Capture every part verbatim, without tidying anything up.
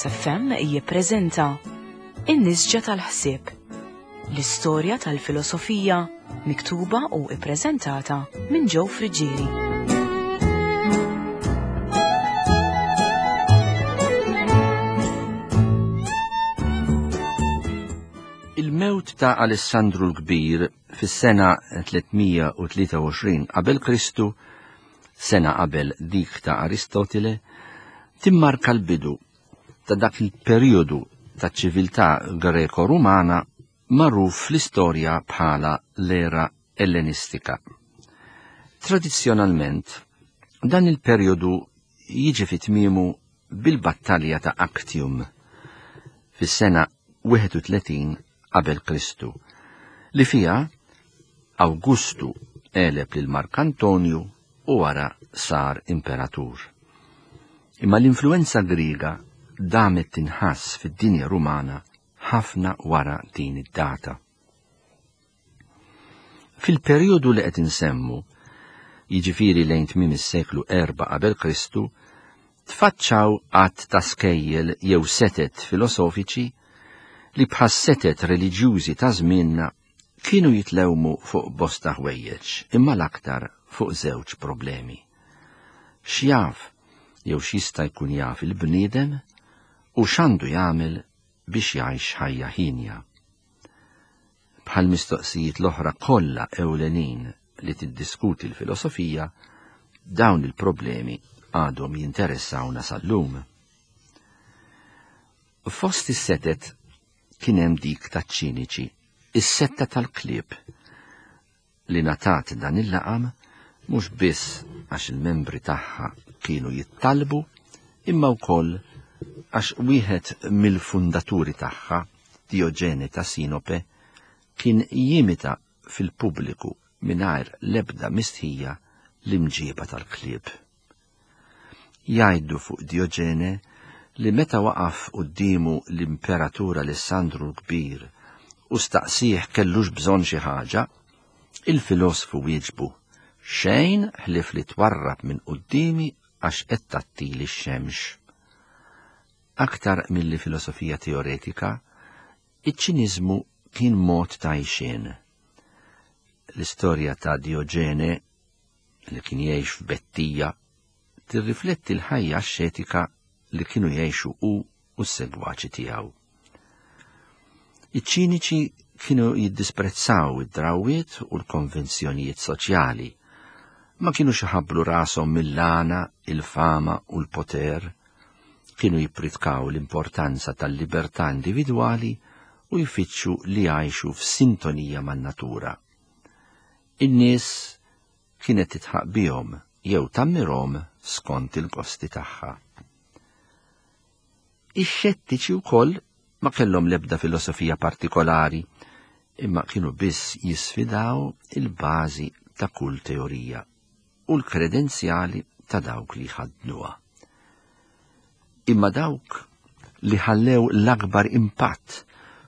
Logos F M jippreżenta In-Nisġa tal-Ħsieb, l-istorja tal-filosofija miktuba u ippreżentata minn Joe Friggieri. Il-mewt ta' Alessandru l-Kbir fis-sena tliet mija u tlieta u għoxrin qabel Kristu, sena qabel dik ta' Aristotile, timmarka l-bidu ta' dak il-perjodu ta' ċiviltà Greko-Rumana magħruf fl-istorja bħala l-era Ellenistika. Tradizzjonalment, dan il-perjodu jiġi fi tmiemu bil-battalja ta' Actium fis-sena wieħed u tletin qabel Kristu, li fiha Awgustu għeleb lil Mark Antonju u wara sar imperatur. Imma l-influenza Griega damet tinħass fid-dinja Rumana ħafna wara din id-data. Fil-perjodu li qed insemmu, jiġifieri lejn tmiem is-seklu erba' qabel Kristu, tfaċċaw għadd ta' skejjel jew setet filosofiċi li bħas setet reliġjużi ta' żmienna kienu jitlewmu fuq bosta ħwejjeġ, imma l-aktar fuq żewġ problemi. X'jaf jew x'jista' jkun jaf il-bniedem u x'għandu jagħmel biex jgħix ħajja ħinja. Bħal mistoqsijiet l-oħra kollha ewlenin li tiddiskuti l-filosofija, dawn il-problemi għadhom jinteressawna sal-lum. Fost is-setet kien hemm dik taċ-ċiniċi, is-setta tal-klieb, li ngħatat dan il-laqam mhux biss għax il-membri tagħha kienu jittalbu, imma wkoll għax wieħed mill-fundaturi tagħha, Diogene ta' Sinope, kien jimita fil-pubbliku mingħajr l-ebda mistħija l-imġieba tal-klieb. Jgħidu fuq Diogene li meta waqaf quddiemu l-Imperatur Alessandru l-Kbir u staqsih kellux bżonn xi ħaġa, il-filosfu wieġbu: xejn ħlief li twarrab minn quddiemi għax qed tattili x-xemx. Aktar milli filosofija teoretika, iċ-ċiniżmu kien mod ta' għixien. L-istorja ta' Diogene, li kien jgħix f'Bettija, tirrifletti l-ħajja axxetika li kienu jgħixu hu u s-segwaċi tiegħu. Iċ-ċiniċi kienu jiddisprezzaw id-drawwiet u l-konvenzjonijiet soċjali. Ma kienu iħabblu rashom mill-għana, il-fama u l-poter. Kienu jippritkaw l-importanza tal-libertà individwali u jfittxu li jgħixu f'sintonija man-natura. In-nies kienet titħaq bihom jew tammirhom skont il-gosti tagħha. Ix-xettiċi wkoll ma kellhom l-ebda filosofija partikolari, imma kienu biss jisfidaw il-bażi ta' kull teorija u l-kredenzjali ta' dawk li ħadnuha. Imma dawk li ħallew l-akbar impatt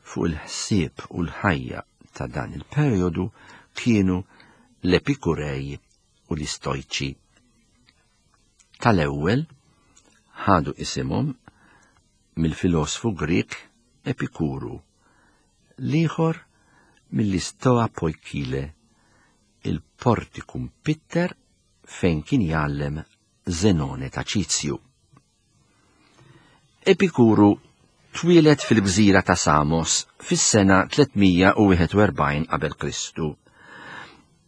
fuq il-ħsieb u l-ħajja ta' dan il-perjodu kienu l-Epikurej u l-Istojċi. Tal-ewwel ħadu isimhom mill-filosfu Grek Epikuru, l-ieħor mill-Istoa Poikile, il-Portikum Pitter fejn kien jgħallem Zenone ta' Ċizju. Epikuru twieled fil-gżira ta' Samos fis-sena tliet mija u wieħed u erbgħin qabel Kristu.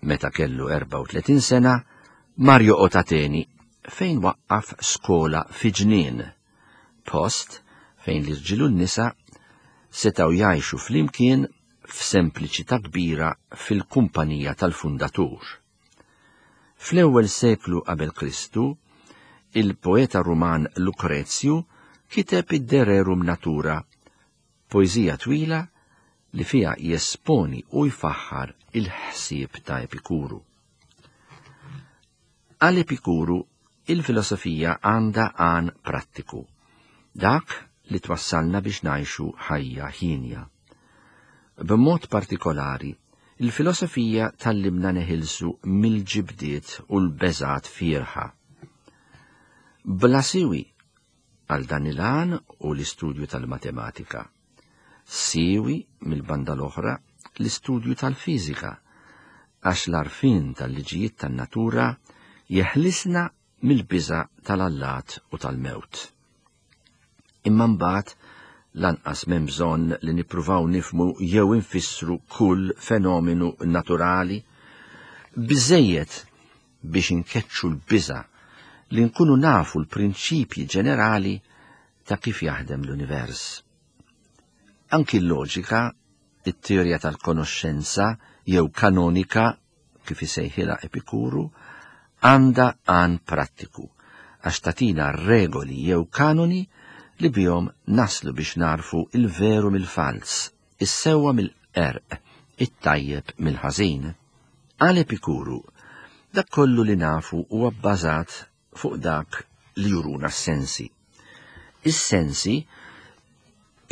Meta kellu erbgħa u tletin sena, mar joqgħod Ateni fejn waqqaf skola fi ġnien, post fejn l-irġiel u n-nisa setgħu jgħixu flimkien f'sempliċità kbira fil-kumpanija tal-fundatur. Fl-ewwel seklu qabel Kristu, il-poeta Ruman Lukrezju kiteb id-De Rerum Natura, poeżija twila li fiha jesponi u jfaħħar il-ħsieb ta' Epikuru. Għal Epikuru, il-filosofija għandha għan prattiku, dak li twassalna biex ngħixu ħajja ħinja. B'mod partikolari, il-filosofija tallimna neħilsu mill-ġibdiet u l-beżat fierħa. Bla siwi Għal dan il-għan u l-istudju tal-matematika. Siwi mill-banda l-oħra l-istudju tal-fiżika, għax l-għarfien tal-liġijiet tan-natura jeħlisna mill-biża' tal-allat u tal-mewt. Imma mbagħad lanqas m'hemm bżonn li nippruvaw nifhmu jew infissru kull fenomenu naturali, biżejjed biex inkeċċu l-biża' li nkunu nafu l-prinċipji ġenerali ta' kif jaħdem l-univers. Anki l-loġika, it-teorija tal-konoxxenza jew kanonika, kif isejħilha Epikuru, għandha għan prattiku, għax tatina regoli jew kanoni li bihom naslu biex narfu il-veru mill-fals, is-sewwa mill-qerq, it-tajjeb mill-ħażin. Għal Epikuru, dak kollu li nafu huwa bbażat fuq dak li juruna s-sensi. Is-sensi,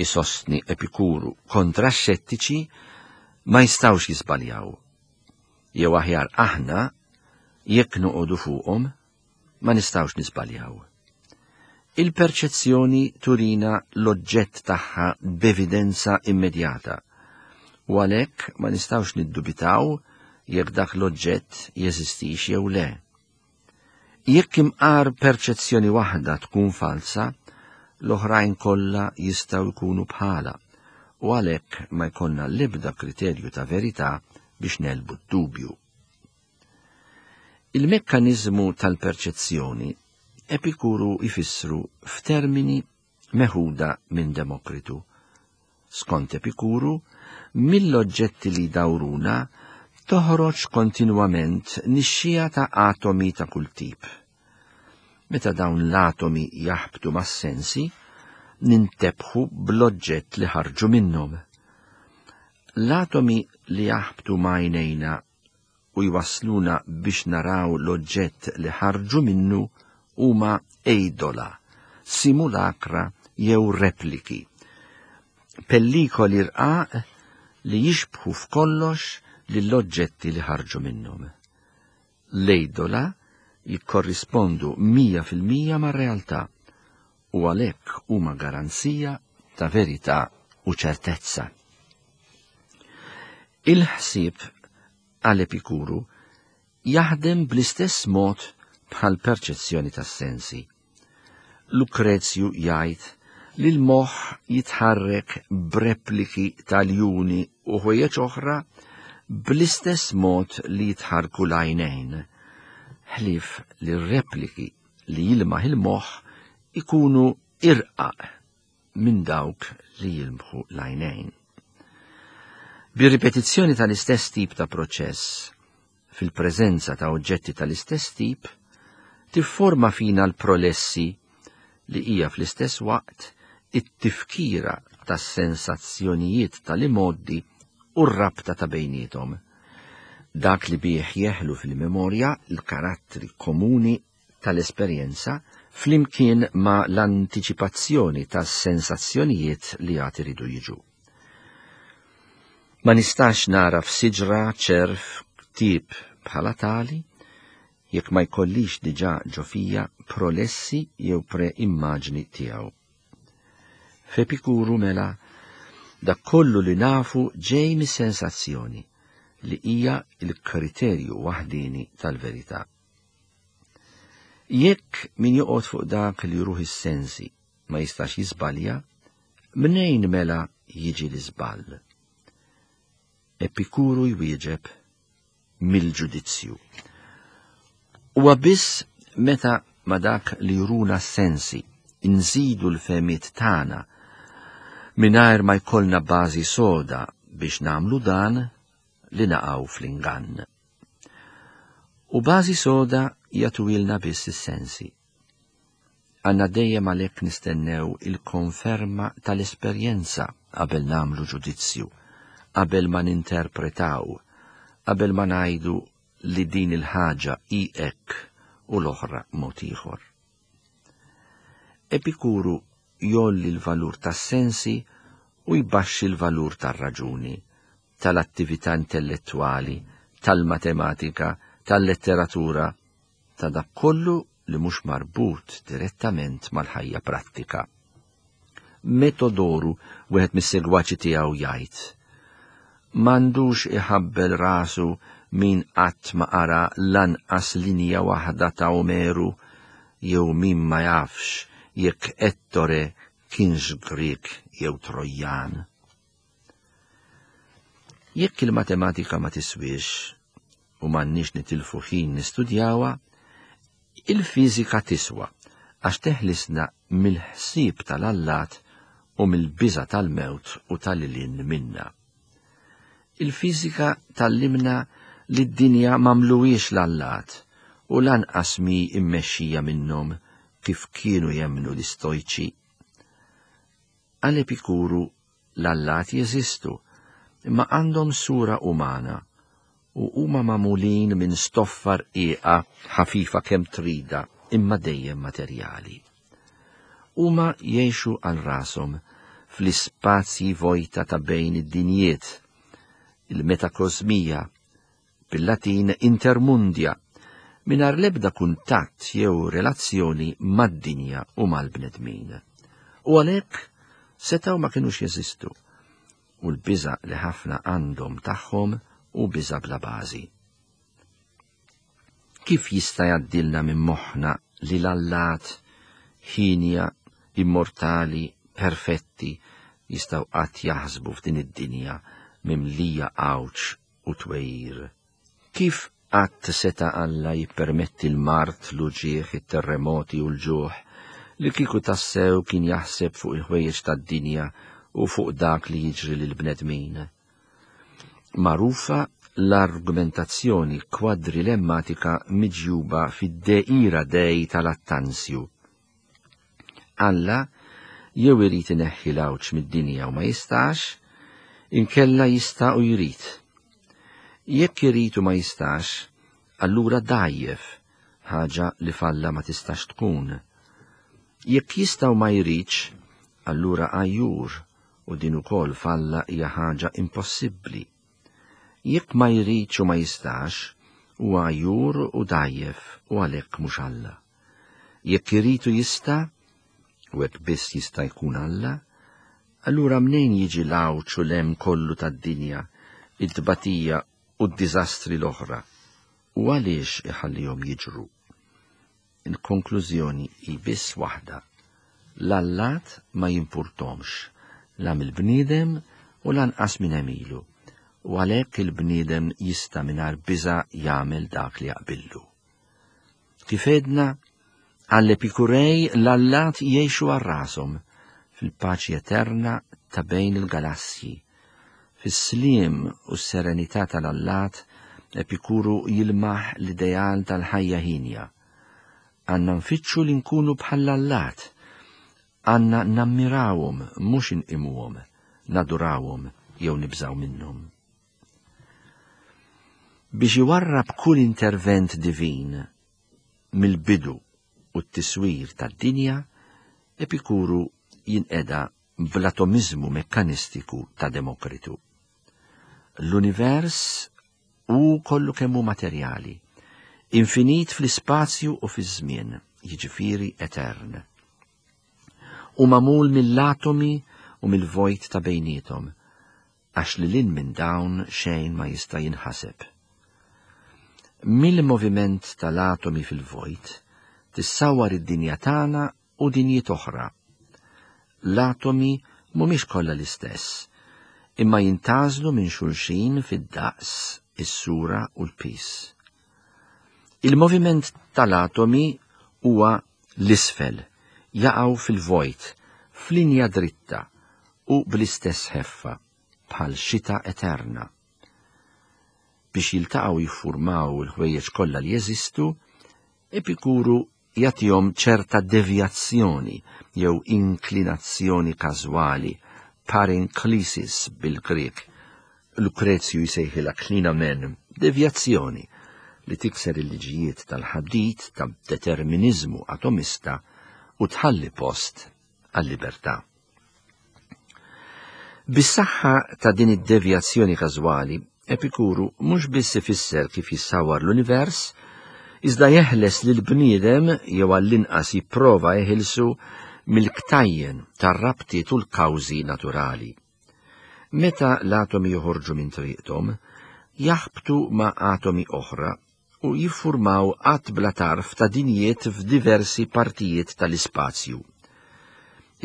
isostni Epikuru kontra x-xettiċi, ma jistgħux jiżbaljaw. Jew aħjar aħna, jekk noqogħdu fuqhom, ma nistgħux niżbaljaw. Il-perċezzjoni turina l-oġġett tagħha b'evidenza immedjata, u għalhekk ma nistgħux niddubitaw jekk dak l-oġġett jeżistix jew le. Jekk imqar perċezzjoni waħda tkun falsa, l-oħrajn kollha jistgħu jkunu bħala, u għalhekk ma jkollna l-ebda kriterju ta' verità biex nelbu d-dubju. Il-mekkaniżmu tal-perċezzjoni Epikuru jfissru f'termini meħuda minn Demokritu. Skont Epikuru, mill-oġġetti li dawruna toħroġ kontinwament nixxija ta' atomi ta' kull tip. Meta dawn l-atomi jaħbtu mas-sensi, nintebħu bl-oġġett li ħarġu minnhom. L-atomi li jaħbtu ma' għajnejna u jwassluna biex naraw l-oġġett li ħarġu minnu huma eidola, simulakra jew repliki. Pellikoli rqaq li jixbħu f'kollox lill-oġġetti li ħarġu minnhom. L-eidola jikkorrispondu mija fil-mija mar-realtà u għalhekk huma garanzija ta' verità u ċertezza. Il-ħsieb għal Epikuru jaħdem bl-istess mod bħal perċezzjoni tas-sensi. Lukrezju jgħid li l-moħħ jitħarrek b'repliki tal-juni u ħwejjeġ oħra bl-istess mod li jitħarku l-għajnejn, ħlief li r-repliki li jilmaħ il-moħħ ikunu irqaq minn dawk li jilmħu l-għajnejn. Bir-ripetizzjoni tal-istess tip ta' proċess, fil-preżenza ta' oġġetti tal-istess tip, tifforma fina l-prolessi li hija fl-istess waqt it-tifkira tas-sensazzjonijiet tal-imoddi u r-rabta ta' bejnietom. Dak li bih jeħlu fil-memorja l-karattri komuni tal-esperjenza flimkien ma' l-antiċipazzjoni tas-sensazzjonijiet li għad iridu jiġu. Ma nistax nara f'siġra ċerf ktieb bħala tali jekk ma jkollix diġà ġo fija prolessi jew pre-immaġni tiegħu. F'Epikuru mela dak kollu li nafu ġej mis-sensazzjoni li hija l-kriterju waħdini tal-verità. Jekk min joqgħod fuq dak li juruh is-sensi ma jistax jiżbalja, mnejn mela jiġi l-iżball? Epikuru jwieġeb mill-ġudizzju. Huwa biss meta ma dak li juruna s-sensi nżidu l-fehmiet tagħna mingħajr ma jkollna bażi soda biex nagħmlu dan li naqgħu fl-ingann. U bażi soda jagħtuilna biss is-sensi. Għandna dejjem għalhekk nistennew il-konferma tal-esperjenza qabel nagħmlu ġudizzju, qabel ma ninterpretaw, qabel ma ngħidu li din il-ħaġa hi hekk u l-oħra mod ieħor. Epikuru jolli l-valur tas-sensi u jbaxxi l-valur tar-raġuni, tal-attività intellettwali, tal-matematika, tal-letteratura, ta' dak kollu li mhux marbut direttament mal-ħajja prattika. Metodoru, wieħed mis-segwaċi tiegħu, jgħid: "M'għandux iħabbel rasu min qatt ma qara lanqas linja waħda ta' Omeru jew min ma jafx jekk Ettore kienx Grek jew Trojan." Jekk il-matematika ma tiswiex u m'għandniex nitilfu ħin nistudjawha, il-fiżika tiswa għax teħlisna mill-ħsieb tal-allat u mill-biża' tal-mewt u tal-ilin minna. Il-fiżika tgħallimna li d-dinja m'għamluhiex l-allat u lanqas mi immexxija minnhom kif kienu jemmnu l-istojċi. Għal Epikuru l-allat jeżistu, imma għandhom sura umana u huma magħmulin minn stoffa rqiqa ħafifa kemm trida imma dejjem materjali. Huma jgħixu għal rashom fl-ispazji vojta ta' bejn id-dinjiet, il-metakosmija, bil-Latin intermundia, mingħajr l-ebda kuntatt jew relazzjoni mad-dinja u mal-bnedmin. U għalhekk setgħu ma kinux jeżistu, u l-biża' li ħafna għandhom tagħhom u biża' bla bażi. Kif jista' jgħaddilna minn moħħna li l-allat ħinja, immortali, perfetti jistgħu qatt jaħsbu f'din id-dinja mimlija għawġ u twejjir? Kif qatt seta' Alla jippermetti l-mard, l-uġigħ, it-terremoti u l-ġuħ li kieku tassew kien jaħseb fuq il-ħwejjeġ tad-dinja u fuq dak li jiġri lill-bnedmin? Magħrufa l-argumentazzjoni kwadrilemmatika miġjuba fid-De Ira Dei tal-Attanzju. Alla jew irid ineħħi l-għawġ mid-dinja u ma jistax, inkella jista' u jrid. Jekk irid u ma jistax, allura dgħajjef, ħaġa li falla ma tistax tkun. Jekk jista' u ma jridx, allura għajjur, u din ukoll falla hija ħaġa impossibbli. Jekk ma jridx u ma jistax, huwa għajjur u dgħajjef u għalhekk mhux Alla. Jekk irid u jista', u hekk biss jista' jkun Alla, allura mnejn jiġi l-għawġ u l-hemm kollu tad-dinja, it-tbatija u d-diżastri l-oħra, u għaliex iħallihom jiġru? Il-konklużjoni hi biss waħda: l-allat ma jimpurtomx, la mill-bniedem u lanqas minn għemilu, u għalhekk il-bniedem jista' mingħajr biża' jagħmel dak li jaqbillu. Kif għedna, għall-Epikurej l-allat jgħixu għal rashom fil-paċi eterna ta' bejn il-galassji. Fis-sliem u s-serenità tal-allat, Epikuru jilmaħ l-ideal tal-ħajja ħinja. Għandna nfittxu li nkunu bħall-allat, għandna nammirawhom mhux inqimuhom, nadurawhom jew nibżaw minnhom. Biex iwarrab kull intervent divin mill-bidu u t-tiswir tad-dinja, Epikuru jinqeda bl-atomizmu mekkanistiku ta' Demokritu. L-univers hu kollu kemm hu materjali, infinit fl-ispazju u fiż-żmien, jiġifieri etern. U magħmul mill-atomi u mill-vojt ta' bejniethom, għax lil hinn minn dawn xejn ma jista' jinħaseb. Mill-moviment tal-atomi fil-vojt tissawar id-dinja tagħna u dinjiet oħra. L-atomi mhumiex kollha l-istess, imma jintgħażlu minn xulxin fid-daqs, is-sura u l-pis. Il-moviment tal-atomi huwa l-isfel, jaqgħu fil-vojt, f'linja dritta u bl-istess ħeffa, bħal xita eterna. Biex jiltaqgħu jiffurmaw il-ħwejjeġ kollha li jeżistu, Epikuru jagħtihom ċerta devjazzjoni jew inklinazzjoni każwali, parenklisis bil-Grek. Lukrezju jsejħilha klinamen, devjazzjoni li tikser il-liġijiet tal-ħadid ta' determinizmu atomista u tħalli post għal-libertà. Bis-saħħa ta' din id-devjazzjoni każwali, Epikuru mhux biss ifisser kif jissawar l-univers, Iżda jeħles lill-bniedem jew għall-inqas jipprova jeħilsu mill-ktajjen tar-rabtiet u l-kawżi naturali. Meta l-atomi joħorġu minn triqthom, jaħbtu ma' atomi oħra u jiffurmaw għadd bla tarf ta' dinjiet f'diversi partijiet tal-ispazju.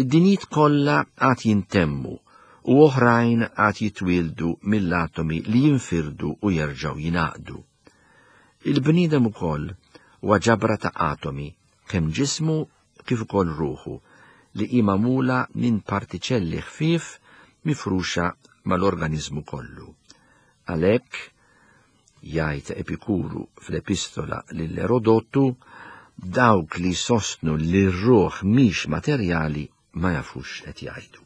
Id-dinjiet kollha għad jintemmu u oħrajn għad jitwieldu mill-atomi li jinfirdu u jerġgħu jingħaqdu. Il-bniedem ukoll huwa ġabra ta' atomi, kemm ġismu kif ukoll ruħu, li hi magħmula minn partiċelli ħfief mifruxa mal-organizmu kollu. Għalhekk, jgħid Epikuru fl-epistola lil Erodotu, dawk li sostnu li r-ruħ mhix materjali ma jafux qed jgħidu.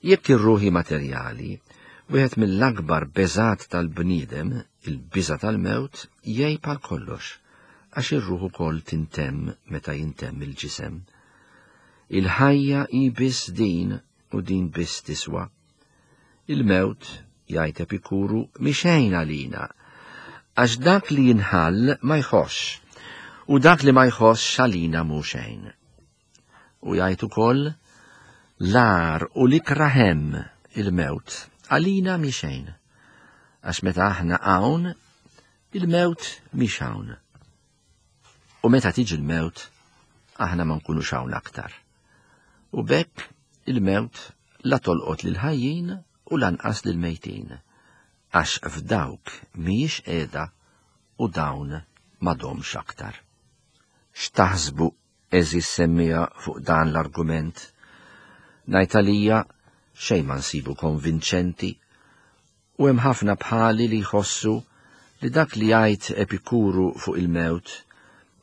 Jekk ir-ruħ hi materjali, wieħed mill-akbar beżat tal-bniedem, il-biża tal-mewt, jgħib għal kollox, għax ir-ruħ ukoll tintemm meta jintemm il-ġisem. Il-ħajja hi biss din u din biss tiswa. Il-mewt, jgħid Epikuru, mhi xejn għalina, għax dak li jinħall ma jħossx, u dak li ma jħossx għalina mhu xejn. U jgħid ukoll, l-agħar u l-ikrah hemm il-mewt għalina mhi xejn, għax meta aħna hawn, il-mewt mhix hawn. U meta tiġi l-mewt, aħna ma nkunux hawn aktar. U b'hekk il-mewt la tolqot lil ħajjin u lanqas lil mejtin, għax f'dawk mhijiex qiegħda u dawn m'għadhomx aktar. X'taħsbu, għeżież semmiegħa, fuq dan l-argument? Ngħid għalija xejn ma nsibu konvinċenti, u hemm ħafna bħali li jħossu li dak li jgħid Epikuru fuq il-mewt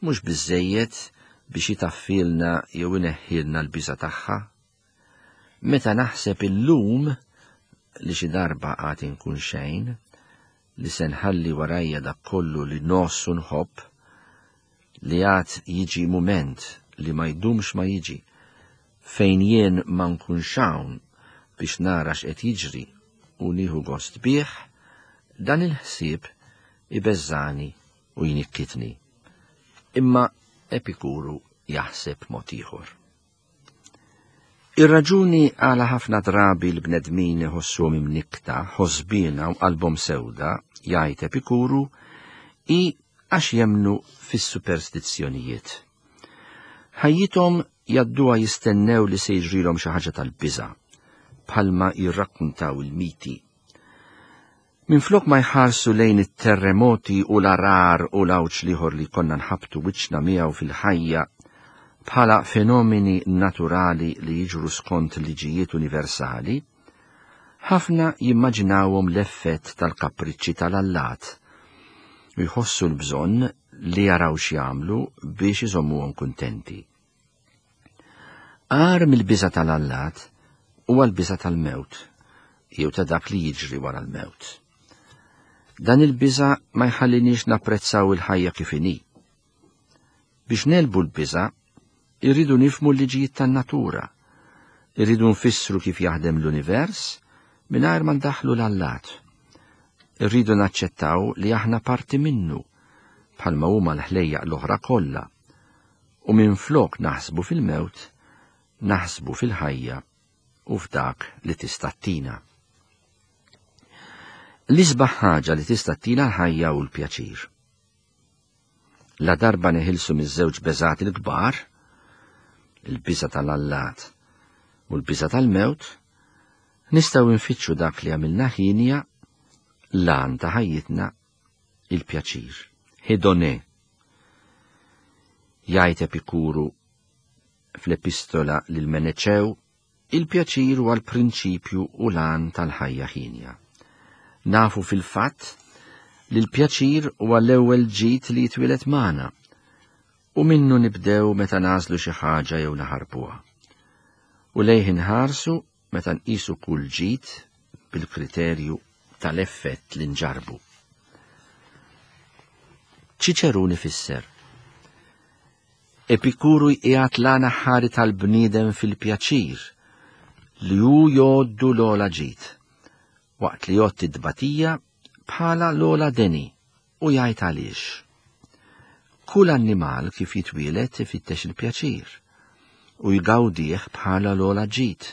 mhux biżejjed biex jitaffilna jew ineħħilna l-biża tagħha. Meta naħseb illum li xi darba għad inkun xejn, li se nħalli warajja dak kollu li ngħożż u nħobb, li għad jiġi mument li ma jdumx ma jiġi, fejn jien ma nkunx hawn biex nara x'qed jiġri u nieħu gost bih, dan il-ħsieb ibeżżani u jnikkitni. Imma Epikuru jaħseb mod ieħor. Ir-raġuni għala ħafna drabi l-bnedmin iħossuhom imnikkta, ħosbina u qalbhom sewda, jgħid Epikuru, hi għax jemmnu fis-superstizzjonijiet. Ħajjithom jgħadduha jistennew li se jiġrilhom xi ħaġa tal-biża', bħalma jirrakkuntaw il-miti. Minflok ma jħarsu lejn it-terremoti u l-għarar u l-għawġ l-ieħor li konna nħabtu wiċċna miegħu fil-ħajja bħala fenomeni naturali li jiġru skont liġijiet universali, ħafna jimmaġinawhom l-effett tal-kapriċċi tal-allat u jħossu l-bżonn li jaraw x'jagħmlu biex iżommuhom kuntenti. Agħar mill-biża tal-allat huwa l-biża tal-mewt, jew ta' dak li jiġri wara l-mewt. Dan il-biża ma jħalliniex napprezzaw il-ħajja kif inhi. Biex negħlbu l-biża, irridu nifhmu l-liġijiet tan-natura, irridu nfissru kif jaħdem l-univers mingħajr ma ndaħħlu l-allat. Irridu naċċettaw li aħna parti minnu, bħalma huma l-ħlejjaq l-oħra kollha, u minflok naħsbu fil-mewt, naħsbu fil-ħajja u f'dak li tista' ttina. L-isbaħ ħaġa li tista' ttina l-ħajja u l-pjaċir. La darba neħilsu miż-żewġ beżat il-kbar, il-biża tal-allat u l-biża tal-mewt, nistgħu nfittxu dak li għamilna ħinja, l-għan ta' ħajjitna, il-pjaċir. Hedone. Jgħid Epikuru fl-epistola lil Meneċew, il-pjaċir huwa l-prinċipju u l-għan tal-ħajja ħinja. Nafu fil-fatt li l-pjaċir huwa l-ewwel ġid li jitwieled magħna, u minnu nibdew meta nagħżlu xi ħaġa jew naħarbuha. U lejh inħarsu meta nqisu kull ġid bil-kriterju tal-effett li nġarbu. Ċiċerun ifisser: Epikuru jqiegħed l-għan aħħari tal-bniedem fil-pjaċir li hu jgħoddu l-ogħla ġid, waqt li jgħodd it-tbatija bħala l-ogħla deni U jgħid għaliex. Kull annimal kif jitwieled ifittex il-pjaċir u jgawdih bħala l-ogħla ġid,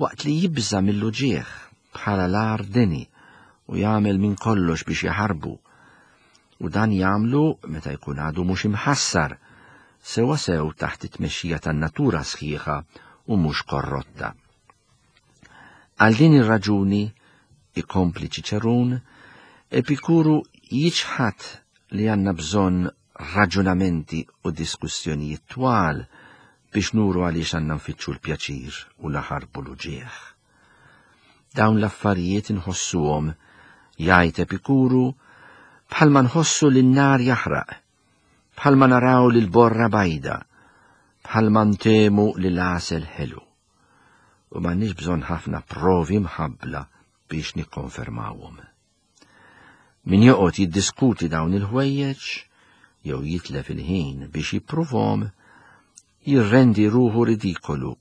waqt li jibża' mill-uġigħ bħala l-agħar deni u jagħmel minn kollox biex jaħarbu. U dan jagħmlu meta jkun għadu mhux imħassar, sewa sew taħt it-tmexxija tan-natura sħiħa u mhux korrotta. Għal din ir-raġuni, ikompli Ċiċerun, Epikuru jiċħad li għandna bżonn raġunamenti u diskussjonijiet twal biex nuru għaliex għandna nfittxu l-pjaċir u naħarbu l-uġigħ. Dawn l-affarijiet inħossuhom, jgħid Epikuru, bħalma nħossu li n-nar jaħraq, bħalma naraw li l-borra bajda, bħalma ntemu li l-għasel ħelu. U m'għandniex bżonn ħafna provi mħabbla biex nikkonfermawhom. Min joqgħod jiddiskuti dawn il-ħwejjeġ jew jitlef il-ħin biex jippruvhom, jirrendi ruħu ridikolu,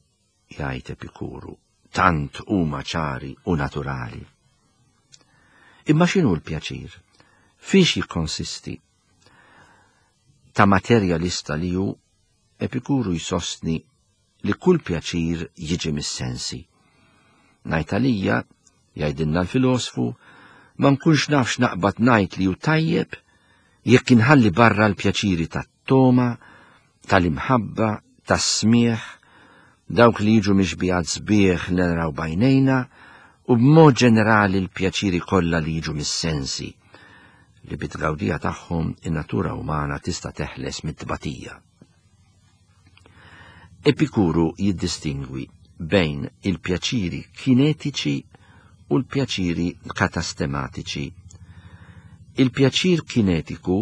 jgħid Epikuru, tant huma ċari u naturali. Imma x'inhu l-pjaċir? Fiex jikkonsisti? Ta' materjalista li hu, Epikuru jsostni li kull pjaċir jiġi mis-sensi. Ngħid għalija, jgħidilna l-filosfu, ma nkunx nafx naqbad ngħid li hu tajjeb jekk inħalli barra l-pjaċiri tat-toma, tal-imħabba, tas-smieħ, dawk li jiġu mixbijat sbieħ li naraw bajnejna, u b'mod ġenerali l-pjaċiri kollha li jiġu mis-sensi, li bit-tgawdija tagħhom in-natura umana tista' teħles mit-tbatija. Epikuru jiddistingwi bejn il-pjaċiri kinetiċi u l-pjaċiri katastematiċi. Il-pjaċir kinetiku,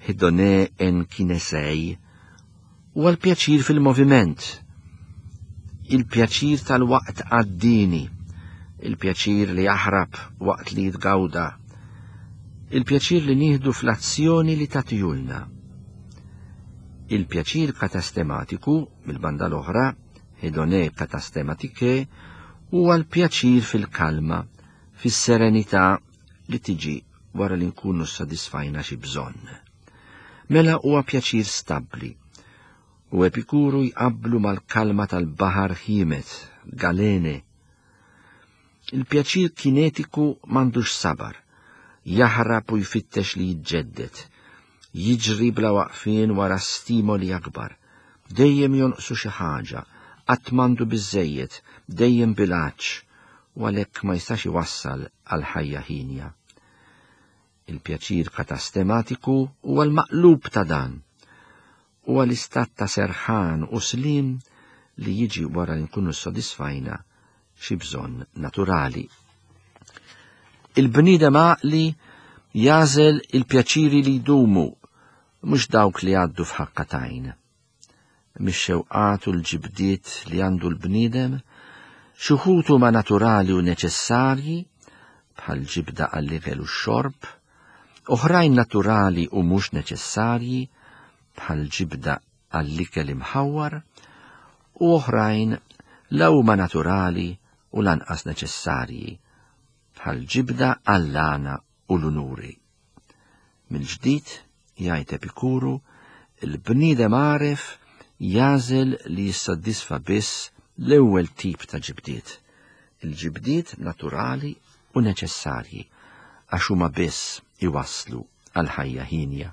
hedone en kinesei, huwa l-pjaċir fil-moviment, il-pjaċir tal-waqt għaddini, il-pjaċir li jaħrab waqt li jitgawda, il-pjaċir li nieħdu fl-azzjoni li tatijulna. Il-pjaċir katastematiku, mill-banda l-oħra, hedone katastematike, huwa l-pjaċir fil-kalma, fis-serenità li tiġi wara li nkunu sodisfajna xi bżonn. Mela huwa pjaċir stabbli, u Epikuru jqabblu mal-kalma tal-baħar ħiemet, galene. Il-pjaċir kinetiku m'għandux sabar, jaħrab u jfittex li jiġġedded, jiġri bla waqfien wara stimoli akbar, dejjem jonqsu xi ħaġa, qatt m'għandu biżżejjed, dejjem bil-għatx, u għalhekk ma jistax iwassal għal ħajja ħinja. Il-pjaċir katastematiku huwa l-maqlub ta' dan, huwa l-istat ta' serħan u slim li jiġi wara li nkunu sodisfajna xi bżonn naturali. Il-bniedem għaqli jażel il-pjaċiri li jdumu, mhux dawk li għaddu f'ħakka t'għajn. Mix-xewqat u l-ġibdiet li għandu l-bniedem, xi wħud huma naturali u neċessarji, bħal ġibda għall-ikel u x-xorb, oħrajn naturali u mhux neċessarji, bħal ġibda għall-ikel imħawwar, u oħrajn la huma naturali u lanqas neċessarji, bħal ġibda għall-għana u l-unuri. Mill-ġdid, jgħid Epikuru, il-bniedem għaref jażel li jissodisfa biss l-ewwel tip ta' ġibdiet, il-ġibdiet naturali u neċessarji, għax huma biss iwasslu għal ħajja ħinja.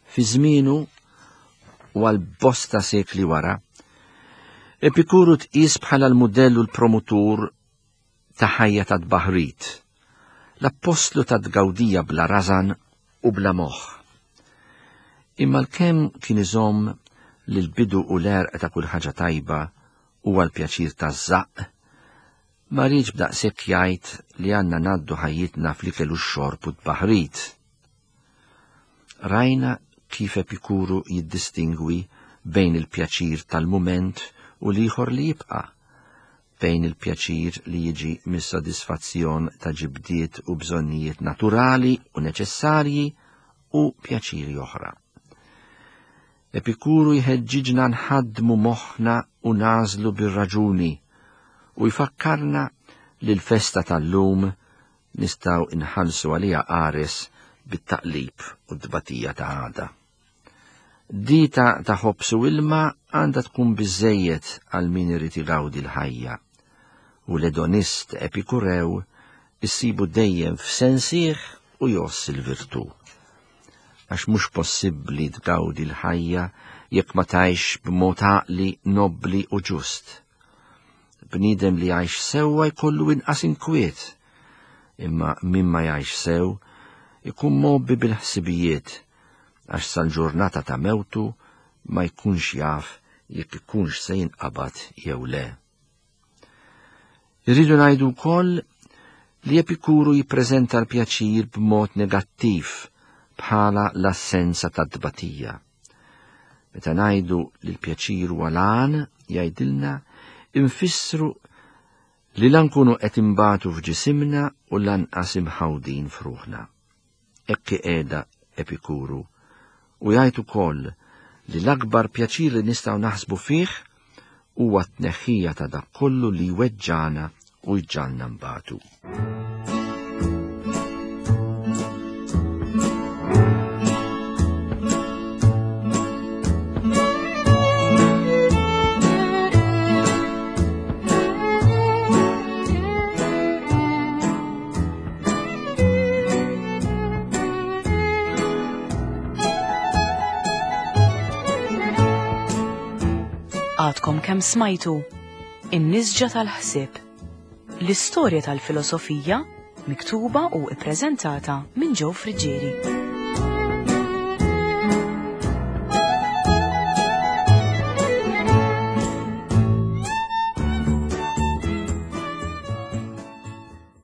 Fi żmienu u għal bosta sekli wara, Epikuru tqis bħala l-mudell u l-promutur ta' ħajja ta' tbaħrit, l-appostlu ta' tgawdija bla rażan u bla moħħ. Imma l-kemm kien iżomm li l-bidu u l-għerq ta' kull ħaġa tajba huwa l-pjaċir taż-żaqq, ma rridx b'daqshekk jgħid li għandna ngħaddu ħajjitna fl-ikel u x-xorb u tbaħrit. Rajna kif Epikuru jiddistingwi bejn il-pjaċir tal-mument u l-ieħor li jibqa', bejn il-pjaċir li jiġi mis-sodisfazzjon ta' ġibdiet u bżonnijiet naturali u neċessarji u pjaċiri oħra. Epikuru jħeġġiġna nħaddmu moħħna u nażlu bir-raġuni u jfakkarna li l-festa tal-lum nistgħu inħallsu għaliha qares bit-taqlib u t-tbatija ta' għada. Dita ta' ħobż u ilma għandha tkun biżżejjed għal min irid igawdi l-ħajja. U l-edonist Epikurew issibu dejjem f'sensih u jgħożż il-virtù. Għax mhux possibbli tgawdi l-ħajja jekk ma tgħix b'mod għaqli, nobbli u ġust. Bniedem li jgħix sewwa jkollu inqas inkwiet, imma min ma jgħix sew ikun mgħobbi bil-ħsibijiet għax sal-ġurnata ta' mewtu ma jkunx jaf jekk ikunx se jinqabad jew le. Irridu ngħidu wkoll li Epikuru jippreżenta l-pjaċir b'mod negattiv bħala l-assenza ta' tbatija. Meta ngħidu li l-pjaċir huwa l-għan, jgħidilna, infissru li la nkunu qed imbatu f'ġisimna u lanqas imħawdin f'ruħna. Hekk qiegħda Epikuru u jgħid ukoll li l-akbar pjaċir li nistgħu naħsbu fih huwa t-tneħħija ta' dak kollu li jweġġana u jġagħalna nbatu. Għadkom kemm smajtu In-Nisġa tal-Ħsieb, l-istorja tal-filosofija miktuba u ippreżentata minn Joe Friggieri.